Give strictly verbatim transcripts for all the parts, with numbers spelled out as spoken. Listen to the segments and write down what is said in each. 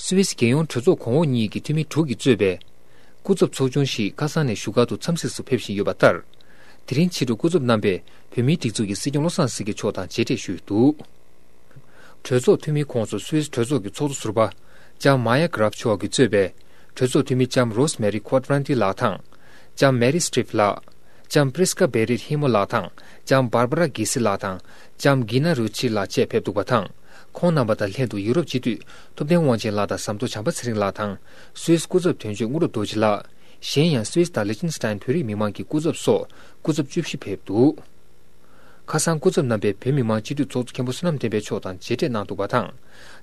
སུད་སི་རྒྱལ་ཡོངས་གྲོས་ཚོགས་གོང་འོག་གཉིས་ཀྱི་འཐུས་མི་དྲུག་གིས་གཙོས་པའི་སྐུ་ཚབ་ཚོགས་ཆུང་ཞིག་ཁ་སང་ནས་བཞུགས་སྒར་དུ་འཚམས་གཟིགས་སུ་ཕེབས་བཞིན་ཡོད་པ་ལྟར། དེ་རིང་ཕྱི་དྲོ་སྐུ་ཚབ་རྣམ་པས་བོད་མིའི་སྒྲིག་འཛུགས་ཀྱི་སྲིད་སྐྱོང་བློ་བཟང་སེང་གེ་མཆོག་དང་མཇལ་འཕྲད་ཞུས་འདུག་གྲོས་ཚོགས་འཐུས་མིའི་ཁོངས་སུ་སུད་སི་གྲོས་ཚོགས་ཀྱི་ཚོགས་གཙོ་ཟུར་པ་ལྕམ་མ་ཡ་གྷ་རབ་མཆོག་གིས་གཙོས་པའི་གྲོས་ཚོགས་འཐུས་མི་ལྕམ་རོས་མེ་རི་ཁོ་ཏྲ་ན་ཏི་ལགས་དང་། ལྕམ་མེ་རི་སི་ཏྲིབ་ལགས། ལྕམ་པྲིས་ཀ་བེ་རིད་ཧི་མོ་ལགས་དང་། ལྕམ་བར་བ་ར་གྷི་སི་ལགས་དང་། ལྕམ་གྷི་ན་རུ་ཆི་ལགས་བཅས་ཕེབས་འདུག་པ་དང་། ཁོང་རྣམ་པ་དང་ལྷན་དུ་ཡུ་རོབ་སྤྱི་འཐུས་ཐུབ་བསྟན་དབང་ཆེན་ལགས་དང་ཟམ་གདོང་བྱམས་པ་ཚེ་རིང་ལགས་དང་། སུད་སི་སྐུ་ཚབ་དོན་གཅོད་དངོས་གྲུབ་རྡོ་རྗེ་ལགས། གཞན་ཡང་སུད་སི་དང་ལི་ཅིན་སི་ཏན་བོད་རིགས་མི་མང་གི་སྐུ་ཚབ་སོགས་སྐུ་ཚབ་བཅུ་བཞི་ཕེབས་འདུག་ཁ་སང་སྐུ་ཚབ་རྣམ་པས་བོད་མི་མང་སྤྱི་འཐུས་ཚོགས་གཙོ་མཁན་པོ་བསོད་ནམས་བསྟན་འཕེལ་མཆོག་དང་མཇལ་འཕྲད་གནང་འདུག་པ་དང་།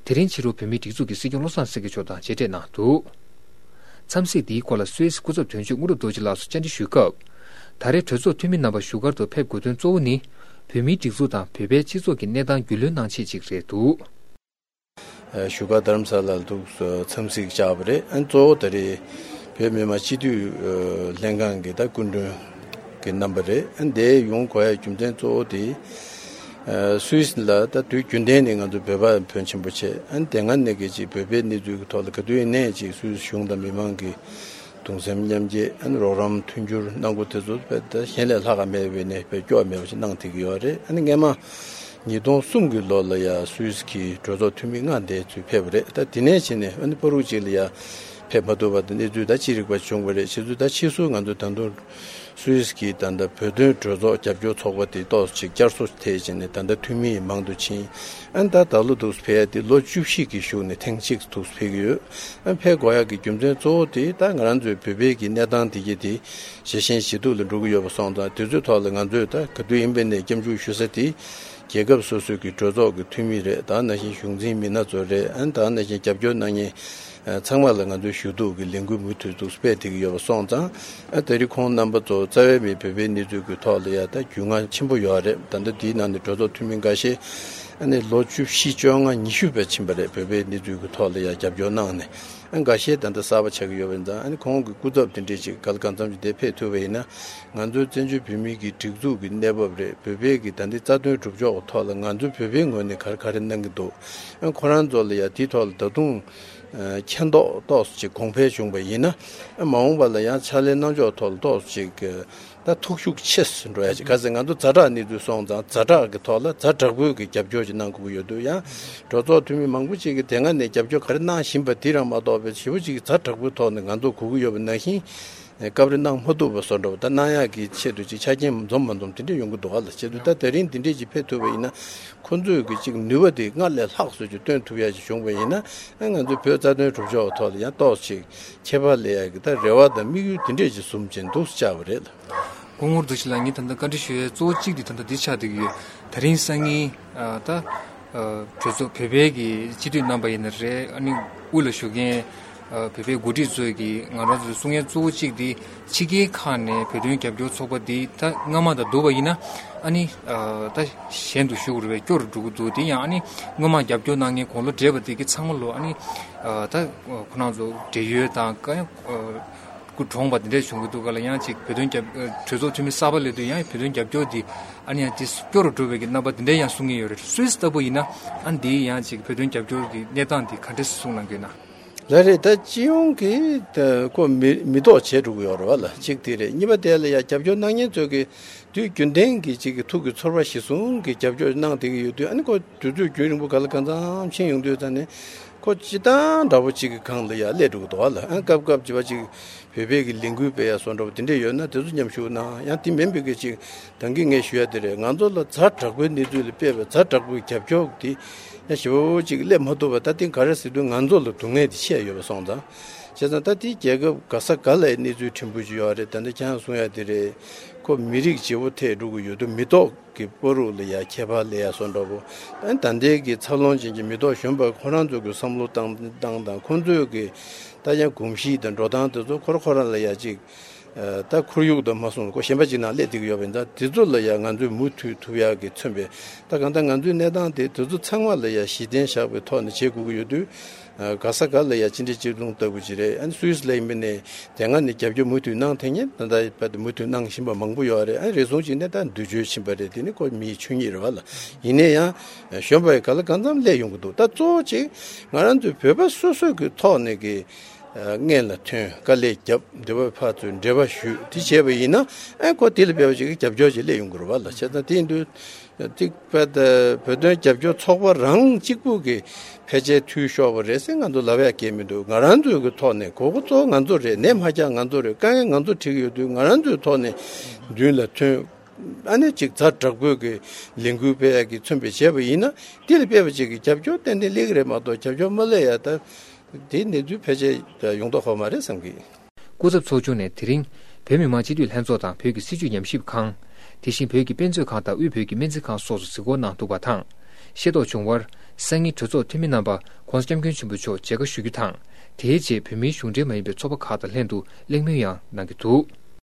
དེ་རིང་ཕྱི་དྲོ་བོད་མིའི་སྒྲིག་འཛུགས་ཀྱི་སྲིད་སྐྱོང་བློ་བཟང་སེང་གེ་མཆོག་དང་མཇལ་འཕྲད་གནང་འདུག་འཚམས་གཟིགས་འདིའི་སྐོར་ལ་སུད་སི་སྐུ་ཚབ་དོན་གཅོད་དངོས་གྲུབ་རྡོ་རྗེ་ལགས་སུ་བཅར་འདྲི་ཞུས་སྐབས། ད་རེས་གྲོས་ཚོགས་འཐུས་མི་རྣམ་པ་བཞུགས་སྒར་དུ་ཕེབས་དགོས་དོན་གཙོ་བོ་ནི། བོད་མིའི་སྒྲིག་འཛུགས་དང་བོད་པའི་སྤྱི་ཚོགས་ཀྱི་གནས་སྟངས་རྒྱུས་ལོན་གནང་ཆེད་ཅིག་རེད་འདུག་བཞུགས་སྒར་རྡ་རམ་ས་ལ་ལ་འདུག་འཚམས་གཟིགས་བཅར་བ་རེད། ཨ་ནི་གཙོ་བོ་ད་རེས་བོད་མི་མང་སྤྱི་འཐུས་ལྷན་ཁང་གི་ད་སྐུ་མགྲོན་གྱི་རྣམ་པ་རེད། ཨ་ནི་འདིར་ཡོང་དགོས་ཡ་རྒྱུ་མཚན་གཙོ་བོ་དེ། སུད་སི་ལ་ད་དུས་རྒྱུན་ལྡན་ནས་ང་ཚོ་བོད་པ་ཕོན་ཆེན་པོ་བྱས། ཨ་ནི་དེ་སྔ་ནས་ཀྱི་ཅིག་བོད་པའི་གནས་ཚུལ་གྱི་ཐོག་ལ་ག་དུས་ཡིན་ནའི་ཅིག་སུད་སི་གཞུང་དང་མི་མང་གི་གདུང་སེམས་མཉམ་སྐྱེད། ཨ་ནི་རོགས་རམ་མཐུན་འགྱུར་གནང་སྒོ་དེ་ཚོ་དཔེ་ད་གཞན་ལས་ལྷག་ག་མེད་པའི་ནས་དཔེ་སྐྱོ་བ་མེད་པ་ཞིག་གནང་བསྡད་ཀྱི་ཡོད་རེད། ཨ་ནི་སྔས་མ་ཉིས་སྟོང་གསུམ་གྱི་ལོ་ལ་ཡ་སུད་སི་གི་གྲོས་ཚོགས་འཐུས་མི་ལྔ་འདས་ཚུལ་ཕེབས་པ་རེད། ད་དེ་ནས་བྱས་ནས་ཨ་ནི་བར་དུ་ཅིག་ལ་ཡ་ཕེབས་མ་ཐུབ་པ་དང་གནས་ཚུལ་ད་ཅི་རིགས་པ་བྱུང་བ་རེད། བྱས་ཙང་ད་ཕྱིས་སུ་ང་ཚོ་ད་དུང་སུད་སི་གི་ད་ལྟ་བོད་དོན་གྲོས་ཚོགས་རྒྱབ་སྐྱོར་ཚོགས་པ་དེ་ཏོག་ཙམ་ཅིག་བསྐྱར་གསོ་ཐེབས་བྱས་ནས་ད་ལྟ་འཐུས་མི་མང་དུ་ཕྱིན། ཨ་ནི་ད་ད་ལོ་འདུག་སེ་ཕེབས་ཡ་དེ་ལོ་བཅུ་བཞི་གི་གཞུག་ནས་ཐེངས་གཅིག་འདུག་སེ་ཕེབས་ཀྱི་ཡོད། ཨ་ནི་ཕེབས་དགོས་ཡ་གི་རྒྱུ་མཚན་གཙོ་བོ་དེ་ད་ང་རང་ཚོའི་བོད་པའི་གི་གནས་སྟངས་དེ་གྱད་དེ་ཇེ་ཞན་ཇེ་སྡུག་ལ་འགྲོ་གི་ཡོད་པ་སོང་ཙང་། དེ་ཚོའི་ཐོག་ལ་ང་ཚོས་ད་ག་དུས་ཡིན་པ་ནས་སྐྱབས་འཇུག་ཞུ་ས་དེ་རྒྱལ་ཁབ་སོ་སོའི་གི་གྲོས་ཚོགས་ཀྱི་འཐུས་མི་རེད། ད་ནང་བཞིན་གཞུང་འཛིན་མི་སྣ་ཚོ་རེད། ཨ་ནི་ད་ནང་བཞིན་རྒྱབ་སྐྱོར་གནང་མཁན་ཚང་མ་ལ་ང་ཚོས་ཞུ་གཏུག་གི་ལས་འགུལ་མུ་མཐུད་འདུག་སེ་སྤེལ་བསྡད་ཀྱི་ཡོད་པ་སོང་ཙང་། ཨ་དེ་རིང་ཁོང་རྣམ་པ་ཚོ་རྩ་བའི་མི་བོད་པའི་གནས་ཚུལ་གྱི་ཐོག་ལ་ཡ་ད་རྒྱུས་མངའ་ཆེན་པོ་ཡོད་རེད། ད་ལྟ་འདིའི་ནང་ནས་གྲོས་ཚོགས་འཐུས་མི་འགའ་ཤས་ཨ་ནི་ལོ་བཅུ་བཞི་བཅོ་ལྔ་ཉི་ཤུ་བར་ཕྱིན་པ་རེད། བོད་པའི་གནས་ཚུལ་གྱི་ཐོག་ལ་ཡ་རྒྱབ་སྐྱོར་གནང་ནས། ཨ་འགའ་ཤས་ད་ལྟ་གསར་པ་ཆགས་ཀྱི་ཡོད་པ་ཡིན་ཙང་། ཨ་ནི་ཁོང་གི་སྐུ་ཚབ་དེ་འདྲས་ཅིག་ག་ལ་གང་འཚམ་ཅིག་དེ་ཕེབས་ཐུབ་པ་ཡིན་ན། ང་ཚོའི་བཙན་བྱོལ་བོད་མིའི་གི་སྒྲིག་འཛུགས་ཀྱི་གནས་བབ་རེད། བོད་པའི་གི་ད་ལྟའི་རྩ་དོན་སྒྲུབ་ཕྱོགས་ཀྱི་ཐོག་ལ་ང་ཚོའི་བོད་པའི་ངོས་ནས་ག་རེ་ག་རེ་གནང་གི་འདུག་ཨ་ཁོ་རང་ཚོ་ལ་ཡ་དེའི་ཐོག་ལ་ད་དུང་ཨ་མཁྱེན་རྟོགས་ཏོག་ཙམ་ཅིག་གོང་འཕེལ་བྱུང་བ་ཡིན་ན། ཨ་མ་འོངས་པ་ལ་ཡང་ཕྱག་ལས་གནང་ཕྱོགས་ཐོག་ལ་ཏོག་ཙམ་ཅིག་ད་ཐུགས་ཤུགས་ཆེ་རུ་འགྲོ་ཡ་ཅིག་ག་ཚོད་ང་ཚོ་ཛ་དྲག་གནས་ཚུལ་སོང་ཙང་། ཛ་དྲག་གི་ཐོག་ལ་ཛ་དྲག་པོའི་གི་རྒྱབ་སྐྱོར་ཅིག་གནང་དགོས་ཀྱི་ཡོད་འདུག་ཡང་གྲོས་ཚོགས་འཐུས་མི་མང་པོ་ཅིག་གིས་དེ་སྔ་ནས་རྒྱབ་སྐྱོར་ག་རེ་གནང་བཞིན་པ་དེ་རང་མ་གཏོགས་པའི་ཞེ་པོ་ཅིག་ཛ་དྲག་པོའི་ཐོག་ནས་ང་ཚོ་དགོས་ཀྱི་ཡོད་པ་ནང་བཞིན་སྐབས་རེ་གནང་མ་ཐུབ་པ་བཟོ་འདྲ་བ། ད་གནང་ཡག་གི་ཆེད་དུ་ཅིག་ཆ་རྐྱེན་འཛོམས་མ་འཛོམས་དེ་འདྲ་ཡོང་གི་འདུག་ག་ལ། བྱས་ཙང་ད་དེ་རིང་འདི་འདྲས་ཅིག་ཕེབས་ཐུབ་པ་ཡིན་ན། ཁོ་ཚོས་གི་ཅིག་ནུས་པ་དེ་སྔར་ལས་ལྷག་བཟོ་རྒྱུ་སྟོན་ཐུབ་ཡ་ཞིག་བྱུང་བ་ཡིན་ན། ཨ་ང་ཚོའི་བོད་རྩ་དོན་སྒྲུབ་ཕྱོགས་ཐོག་ལ་ཡང་ཏོག་ཙམ་ཅིག་ཁྱད་པར་སླེབས་ཡ་གི་ད་རེ་བ་དང་དམིགས་ཡུལ་དེ་འདྲས་ཅིག་བཟུང་བྱས་འདུག་བཅར་བ་རེད། སྐུ་ངོ་རྡོ་རྗེ་ལགས། ངས་ད་ལྟ་བཀའ་འདྲི་ཞུ་ཡའི་གཙོ་བོ་གཅིག་དེ་ད་ལྟ་འདི་ཆགས་བསྡད་ཀྱི་ཡོད། དེ་རིང་སང་ཉིན་ཨ་ད་ཨ་གྲོས་ཚོགས་བོད་པའི་གི་སྤྱི་འཐུས་རྣམ་པ་ཡིན་ན་རེད། ཨ་ནི་དབུས་ལ་བཞུགས་མཁན་ཨ་བོད་པའི་འགོ་ཁྲིད་ཚོས་ཀྱི་ང་རང་ཚོས་གསུང་མཁན་གཙོ་བོ་གཅིག་དེ་ཕྱི་རྒྱལ་ཁག་ནས་བོད་དོན་རྒྱབ་སྐྱོར་ཚོགས་པ་འདི་ད་སྔ་མ་དང་བསྡུར་བ་ཡིན་ན། ཨ་ནི་ཨ་ད་གཞན་དུ་ཞུགས་དགོས་རེད་པས། སྐྱོ་རུ་འགྲོ་གི་འདུག་དེ་ཡང་ཨ་ནི་སྔོན་མ་རྒྱབ་སྐྱོར་གནང་མཁན་དགུང་ལོ་བགྲེས་པ་དེ་གི་ཚང་མ་ལོ་ཨ་ནི་ཨ་ད་ཁོ་རང་ཚོ་བགྲེས་ཡོལ་དང་ག་ཡང་ཨ་སྐུ་གྲོངས་པ་དེ་འདྲས་བྱུང་གི་འདུག་ག་ལ། ཡང་ཅིག་བོད་དོན་རྒྱབ་ཨ་གྲོས་ཚོགས་འཐུས་མི་གསར་པ་སླེབས་དུས་ཡང་བོད་དོན་རྒྱབ་སྐྱོར་འདི་ཨ་ནི་ཡང་དེ་སྐྱོ་རུ་འགྲོ་བའི་གི་རྣམ་པ་དེ་འདྲས་ཡང་གསུང་གི་ཡོད་རེད། སུད་སི་ལྟ་བུ་ཡིན་ན་ཨ་ནི་འདི་ཡང་ཅིག་བོད་དོན་རྒྱབ་སྐྱོར་གྱི་གནས་སྟངས་འདི་ག་འདྲས་གསུང་གནང་གི་ཡོད་ན། ལགས་རེད། ད་སྤྱི་ཡོངས་ཀྱི་ད་ཁོ་མི་མི་ཐོག་བྱས་འགྲོ་གི་ཡོད་རེད་བ་ལ། གཅིག་དེ་རེད། གཉིས་པ་དེ་ལ་ཡང་རྒྱབ་སྐྱོར་གནང་མཁན་ཚོས་ཀྱི་དུས་རྒྱུན་ལྡན་གྱི་ཅིག་གི་ཐུགས་ཀྱི་ཚོར་བ་གཞིར་བཟུང་གི་རྒྱབ་སྐྱོར་གནང་བསྡད་ཀྱི་ཡོད་དུས། ཨ་ནི་ཁོ་དུས་ཚོད་རྒྱུན་རིང་པོ་ག་ལ་གང་འཚམ་ཕྱིན་ཡོང་དུས་ཙང་ནས་ཁོ་སྤྱིར་བཏང་འདྲ་པོ་ཅིག་གི་སྒང་ལ་ཡང་སླེབས་འགྲོ་གི་འདུག་བ་ལ། ཨ་སྐབས་སྐབས་ཅིག་བ་ཅིག་བོད་པའི་གི་ལས་འགུལ་སྤེལ་ཡ་སོགས་འདྲ་པོ་དེ་འདྲས་ཡོད་ན་དེ་ཚོ་མཉམ་ཞུགས་གནང་། ཡང་དེ་མིན་པའི་གི་ཅིག་ད་གིན་ངས་ཞུ་ཡ་དེ་རེད། ང་ཚོ་ལ་ཛ་དྲག་པོའི་གནས་ཚུལ་ལ་དཔག་པའི་ཛ་དྲག་པོའི་རྒྱབ་སྐྱོར་དེ་ཡང་ཞེ་པོ་ཅིག་སླེབས་མ་ཐུབ་པ། ད་དེ་ག་རེ་ཟེར་དུས་ང་ཚོ་ལ་སྡུག་བསྔལ་དེ་ཆེ་ཡོད་པ་སོང་ཙང་། བྱས་ཙང་ད་དེ་རྒྱལ་ཁབ་ག་ས་ག་ལའི་གནས་ཚུལ་ཕྲན་བུ་ཅིག་ཡོད་རེད། ད་ནི་ཁྱེད་རང་གསུང་ཡ་དེ་རེད། ཁོ་མི་རིགས་བརྗེ་པོ་ཐེབས་འགྲོ་གི་ཡོད་དུས་མི་ཐོག་གི་བར་དུ་ལ་ཡ་ཁྱད་པར་སླེབས་ཡ་སོགས་འདྲ་པོ། ཨ་ནི་ད་ལྟའི་གི་འཚར་ལོངས་ཅན་གྱི་མི་ཐོག་གཞོན་པ་ཁོ་རང་ཚོ་གི་བསམ་བློ་བཏང་སྟངས་དང་ཁོང་ཚོའི་གི་ད་ཡང་གོམས་གཤིས་དང་འགྲོ་སྟངས་དེ་ཚོ་ཁོ་རང་ཁོ་རང་ལ་ཡ་ཅིག་ ད་ཁོར་ཡུག་དང་མ་སོང་ཁོ་གཞན་པ་ཅིག་ནང་སླེབས་བསྡད་ཀྱི་ཡོད་པ་ཡིན་ཙང་དེ་ཚོ་ལ་ཡང་ང་ཚོས་མུ་མཐུད་ཐུབ་ཡག་གི་མཚོན་པའི་ད་གང་ལྟར་ང་ཚོའི་གནས་སྟངས་དེ་དེ་ཚོ་ཚང་མ་ལ་ཡང་གཞི་རྟེན་བཞག་པའི་ཐོག་ནས་བྱེད་དགོས་ཀྱི་ཡོད་དུས། ག་ས་ག་ལ་ཡང་ཅི་འདྲ་ཅི་རུང་ལྟ་བུ་ཅིག་རེད། ཨ་ནི་སུད་སི་ལ་ཡིན་པ་ནས་དེ་སྔ་ནས་རྒྱབ་སྐྱོར་མུ་མཐུད་གནང་ཐེངས་ཉེ་ད་ལྟ་བར་དུ་མུ་མཐུད་གནང་བཞིན་པ་མང་པོ་ཡོད་རེད། ཨ་ནི་རེ་ཟུང་ཅིག་ནས་ད་འདུ་བྱོལ་ཕྱིན་པ་རེད། དེ་ནི་ཁོ་མིའི་ཆོས་ཉིད་རེད་བ་ལ། ཡིན་ན་ཡང་གཞོན་པ་ཡི་ག་ལ་གང་འཚམ་སླེབས་ཡོང་གི་འདུག་ད་གཙོ་བོ་ཅིག་ང་རང་ཚོའི་བོད་པ་སོ་སོ་གི་ཐོག་ནས་ཀྱི་སྔན་ལ་ཐོན་དཀའ་ལས་བརྒྱབ་འདི་བ་ཕར་ཚུར་འབྲེལ་བ་ཞུས་དེ་བྱས་པ་ཡིན་ན་ཨ་ཁོ་དེ་ལ་དཔེ་བ་ཅིག་གི་རྒྱབ་སྐྱོར་ཅིག་སླེབས་ཡོང་གི་རེད་བ་ལ། བྱས་ཙང་དེ་ཡིན་དུས། ཏིག་པད་བོད་དོན་རྒྱབ་སྐྱོར་ཚོགས་པ་རང་གཅིག་པུ་གི་ཕལ་ཆེར་འཐུས་ཤོར་བ་རེད་ཟེར་ང་ཚོ་ལབ་ཡ་གལ་མི་འདུག་ང་རང་ཚོའི་གི་ཐོག་ནས་གོ་གོ་གཙོ་བོ་ང་ཚོ་རེད། ནད་མ་རྒྱག་ང་ཚོ་རེད། དཀའ་ངལ་ང་ཚོ་འཕྲད་ཀྱི་ཡོད་དུས་ང་རང་ཚོའི་ཐོག་ནས་མདུན་ལ་ཐོན། ཨ་ནི་ཅིག་ཛ་དྲག་པོའི་གི་ལས་འགུལ་སྤེལ་ཡ་གི་མཚོན་པའི་བྱས་པ་ཡིན་ན་དེ་ལ་དཔེ་བ་ཅིག་གི་རྒྱབ་སྐྱོར་ཏན་ཏན་སླེབས་ཀྱི་རེད་མ་གཏོགས་རྒྱབ་སྐྱོར་མ་སླེབས་ཡ་ད་དེ་གནས་ཚུལ་ཕལ་ཆེར་ཡོང་མདོག་ཁ་པོ་མ་རེད་བསམ་གི། སྐུ་ཚབ་ཚོགས་ཆུང་ནས་དེ་རིང་བོད་མི་མང་སྤྱི་འཐུས་ལྷན་ཚོགས་དང་བོད་ཀྱི་སྲིད་བྱུས་ཉམས་ཞིབ་ཁང་། དེ་བཞིན་བོད་ཀྱི་དཔེ་མཛོད་ཁང་དང་དབུས་བོད་ཀྱི་སྨན་རྩིས་ཁང་སོགས་སུ་གཟིགས་སྐོར་གནང་འདུག་པ་དང་། ཤེས་རྟོགས་བྱུང་བར། སང་ཉིན་གྲོས་ཚོགས་འཐུས་མི་རྣམ་པ་༸གོང་ས་༸སྐྱབས་མགོན་ཆེན་པོ་མཆོག་མཇལ་ཁ་ཞུ་རྒྱུ་དང་། དེའི་རྗེས་བོད་མིའི་གཞུང་འབྲེལ་མ་ཡིན་པའི་ཚོགས་པ་ཁག་དང་ལྷན་དུ་གླེང་མོལ་ཡང་གནང་གི་འདུག